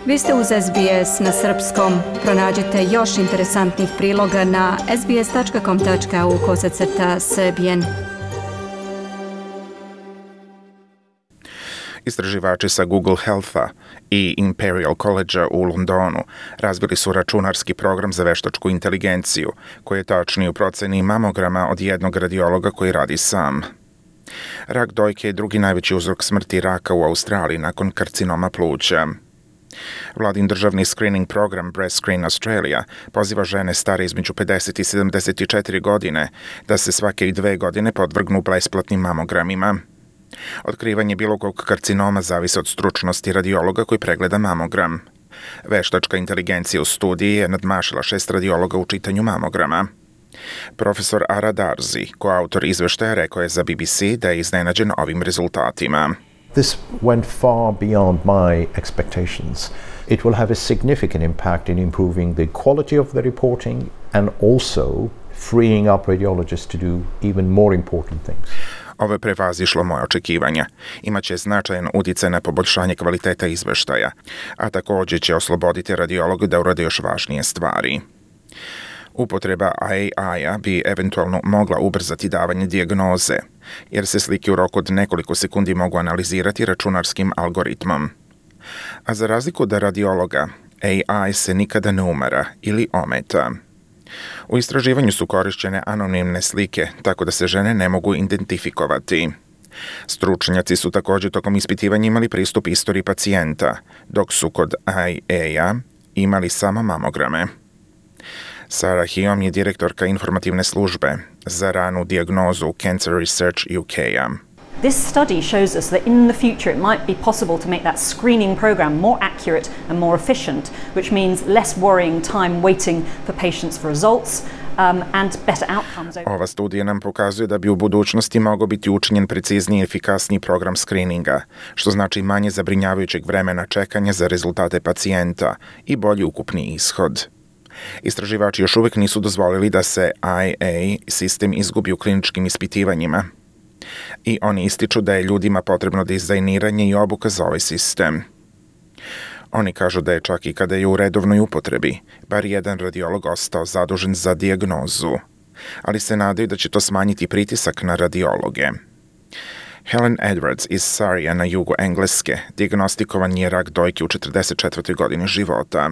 Vi ste uz SBS na srpskom. Pronađite još interesantnih priloga na sbs.com.au/srbijen. Istraživači sa Google Healtha i Imperial College u Londonu razvili su računarski program za veštačku inteligenciju, koji je tačniji u proceni mamograma od jednog radiologa koji radi sam. Rak dojke je drugi najveći uzrok smrti raka u Australiji nakon karcinoma pluća. Vladin državni screening program Breast Screen Australia poziva žene stare između 50 i 74 godine da se svake 2 godine podvrgnu besplatnim mamogramima. Otkrivanje bilo kog karcinoma zavisi od stručnosti radiologa koji pregleda mamogram. Veštačka inteligencija u studiji je nadmašila 6 radiologa u čitanju mamograma. Profesor Ara Darzi, koautor izveštaja, rekao je za BBC da je iznenađen ovim rezultatima. This went far beyond my expectations. It will have a significant impact in improving the quality of the reporting and also freeing up radiologists to do even more important things. Ovo je prevazišlo moje očekivanja. Imaće značajan uticaj na poboljšanje kvaliteta izveštaja, a također će osloboditi radiologa da urade još važnije stvari. Upotreba AI-a bi eventualno mogla ubrzati davanje dijagnoze, jer se slike u roku od nekoliko sekundi mogu analizirati računarskim algoritmom. A za razliku od radiologa, AI se nikada ne umara ili ometa. U istraživanju su korišćene anonimne slike, tako da se žene ne mogu identifikovati. Stručnjaci su također tokom ispitivanja imali pristup istoriji pacijenta, dok su kod AI-a imali samo mamograme. Sarah Hiom je direktorka informativne službe za ranu dijagnozu Cancer Research UK-a. This study shows us that in the future it might be possible to make that screening program more accurate and more efficient, which means less worrying time waiting for patients for results and better outcomes. Ova studija nam pokazuje da bi u budućnosti mogao biti učinjen precizniji i efikasniji program screeninga, što znači manje zabrinjavajućeg vremena čekanja za rezultate pacijenta i bolji ukupni ishod. Istraživači još uvijek nisu dozvolili da se IA sistem izgubi u kliničkim ispitivanjima. I oni ističu da je ljudima potrebno dizajniranje i obuka za ovaj sistem. Oni kažu da je čak i kada je u redovnoj upotrebi, bar jedan radiolog ostao zadužen za dijagnozu, ali se nadaju da će to smanjiti pritisak na radiologe. Helen Edwards iz Surreya na jugu Engleske dijagnostikovan je rak dojke u 44. godini života.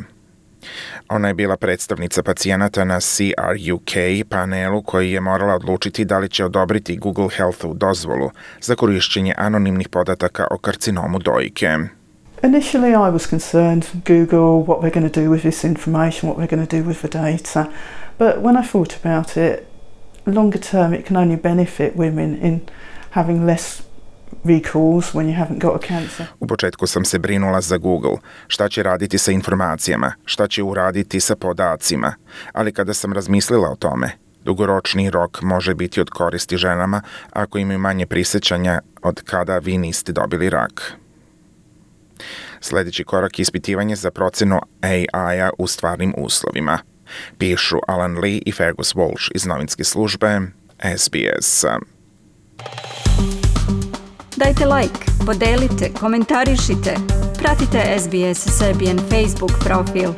Ona je bila predstavnica pacijenata na CRUK panelu koji je morala odlučiti da li će odobriti Google Healthu dozvolu za korišćenje anonimnih podataka o karcinomu dojke. Initially I was concerned, Google, what we're going to do with this information, what we're going to do with the data. But when I thought about it, longer term it can only benefit women in having less recalls when you haven't got a cancer. U početku sam se brinula za Google, šta će raditi sa informacijama, šta će uraditi sa podacima, ali kada sam razmislila o tome, dugoročni rok može biti od koristi ženama ako imaju manje prisjećanja od kada vi niste dobili rak. Sljedeći korak je ispitivanje za procenu AI-a u stvarnim uslovima, pišu Alan Lee i Fergus Walsh iz novinske službe SBS. Dajte like, podelite, komentarišite. Pratite SBS Serbian Facebook profil.